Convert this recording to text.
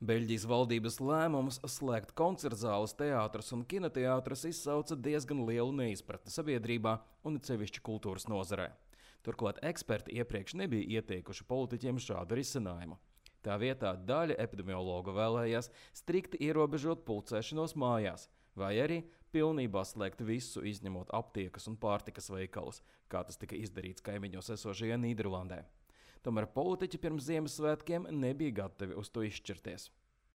Beļģijas valdības lēmums slēgt koncertzāles, teātrus un kinoteātrus izsauca diezgan lielu neizpratni sabiedrībā un sevišķi kultūras nozarē. Turklāt eksperti iepriekš nebija ieteikuši politiķiem šādu risinājumu. Tā vietā daļa epidemiologu vēlējās strikti ierobežot pulcēšanos mājās, vai arī pilnībā slēgt visu, izņemot aptiekas un pārtikas veikalus, kā tas tika izdarīts kaimiņos esošajā Nīderlandē. Tomēr politiķi pirms Ziemassvētkiem nebija gatavi uz to izšķirties.